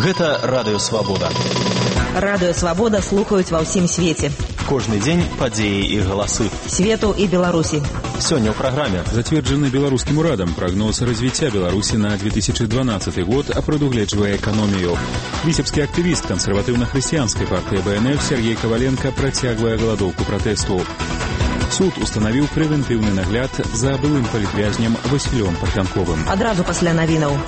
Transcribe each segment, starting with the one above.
Гэта Радыё Свабода. Радыё Свабода слухаюць ва ўсім свеце. Кожны дзень падзеі і галасы. Свету і Беларусі. Сёння ў праграме. Зацверджаны беларускім урадам прогноз развіцця Беларусі на 2012 год, а прадугледжвае эканомію. Віцебскі актывіст кансерватыўна-хрысціянскай партыі БНФ Сергей Коваленко працягвае галадоўку пратэсту. Суд устанавіў прэвентыўны нагляд за былым палітвязнем Васілём Парфянковым. Адразу пасля навінаў.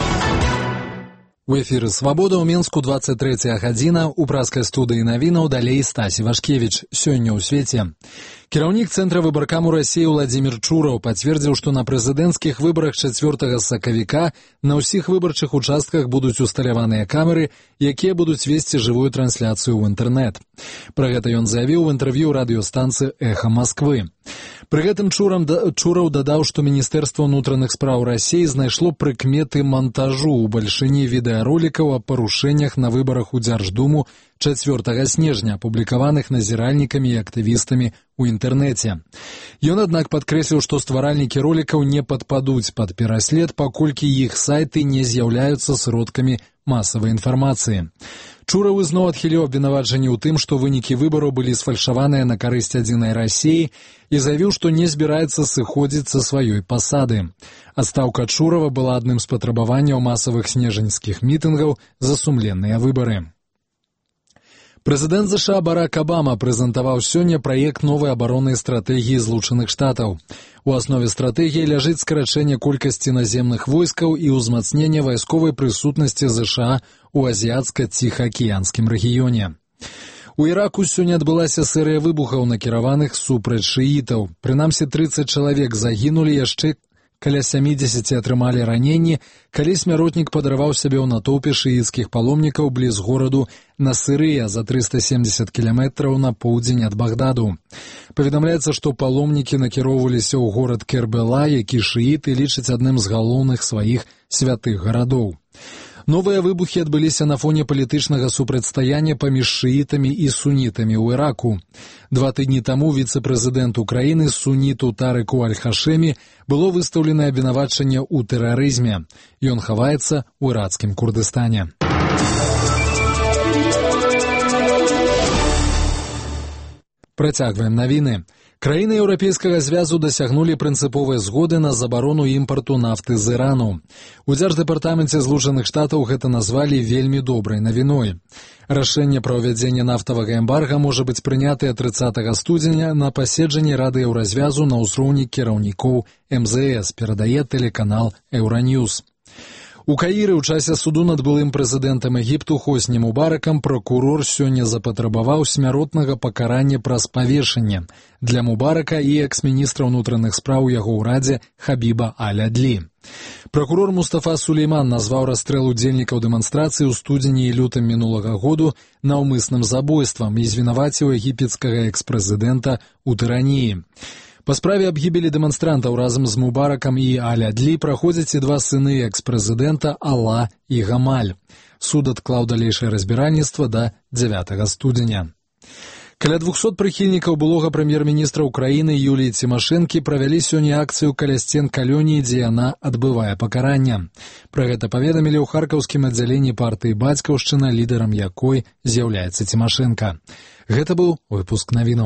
У эфіры «Свабода» ў Мінску 23 гадзіна. У праскай студыі навінаў далей Стасі Вашкевіч. Сёння ў свеце. Кіраўнік Цэнтра выбаркаму Расіі Владзімір Чураў пацвердзіў, што на прэзідэнцкіх выбарах 4 сакавіка на ўсіх выбарчых участках будуць усталяваныя камеры, якія будуць весці жывую трансляцыю ў інтэрнэт. Пра гэта ён заявіў у інтэрв'ю радыёстанцыі «Эхо Москвы». Пры гэтым Чураў дадаў, што Міністэрства ўнутраных спраў Расіі знайшло прыкметы монтажу ў бальшыні відэаролікаў о парушэннях на выбарах у Дзярждуму 4 снежня, апублікаваных назіральнікамі і актывістамі ў інтэрнэце. Ён, аднак, падкрэсліў, што стваральнікі ролікаў не падпадуць пад пераслед, паколькі іх сайты не з'яўляюцца сродкамі масавай інфармацыі. Чураў ізноў адхіліў абвінавачанні ў тым, што вынікі выбараў былі сфальшаваныя на карысць адзінай Расіі і заявіў, што не збіраецца сыходзіць са сваёй пасады. Адстаўка Чурава была адным з патрабаванняў масавых снежаньскіх мітынгаў за сумленныя выбары. Прэзідэнт США Барак Абама прэзентаваў сёння праект новай абароннай стратэгіі Злучаных Штатаў. У аснове стратэгіі ляжыць скарачэнне колькасці наземных войскаў і ўзмацненне вайсковай прысутнасці США ў азіяцка-ціхаакіянскім рэгіёне. У Іраку сёння адбылася серыя выбухаў, накіраваных супраць шыітаў. Прынамсі 30 чалавек загінулі, яшчэ каля 70 атрымалі раненні, калі смяротнік падарваў сябе ў натоўпе шыіцкіх паломнікаў бліз гораду Насырыя за 370 кіламетраў на поўдзень ад Багдаду. Паведамляецца, што паломнікі накіроўваліся ў горад Кербела, які шыіты лічаць адным з галоўных сваіх святых гарадоў. Новыя выбухі адбыліся на фоне палітычнага супрацьстаяння паміж шыітамі і сунітамі ў Іраку. 2 тыдні таму віцэ-прэзідэнт Украіны суніту Тарыку Аль-Хашэмі было выстаўлена абвінавачанне ў тэрарызме. Ён хаваецца ў ірацкім Курдыстане. Працягваем навіны. Краіны Еўрапейскага звязу дасягнулі прынцыповай згоды на забарону імпарту нафты з Ірану. У Дзярждэпартаменце Злучаных Штатаў гэта назвалі вельмі добрай навіной. Рашэнне пра ўвядзенне нафтавага эмбарга можа быць прынятае 30 студзеня на паседжанні Рады Еўразвязу на ўзроўні кіраўнікоў МЗС, перадае тэлеканал Еўраньюз. У Каіры ў часе суду над былым прэзідэнтам Егіпту Хосні Мубаракам пракурор сёння запатрабаваў смяротнага пакарання праз павешанне для Мубарака і экс-міністра ўнутраных спраў яго ўрадзе Хабіба Аль-Адлі. Пракурор Мустафа Сулейман назваў расстрэл удзельнікаў дэманстрацыі ў студзені і лютым мінулага году наўмысным забойствам і звінаваціў егіпецкага экс-прэзідэнта ў тыраніі. Па справе аб гібелі дэманстрантаў разам з Мубаракам і Аль-Адлі праходзяць і 2 сыны экс-прэзідэнта Ала і Гамаль. Суд адклаў далейшае разбіральніцтва да 9 студзеня. Каля 200 прыхільнікаў былога прэм'ер-міністра Украіны Юліі Цімашэнкі правялі сёння акцыю каля сцен калоніі, дзе яна адбывае пакаранне. Пра гэта паведамілі ў харкаўскім аддзяленні партыі «Бацькаўшчына», лідарам якой з'яўляецца Цімашэнка. Гэта быў выпуск навінаў.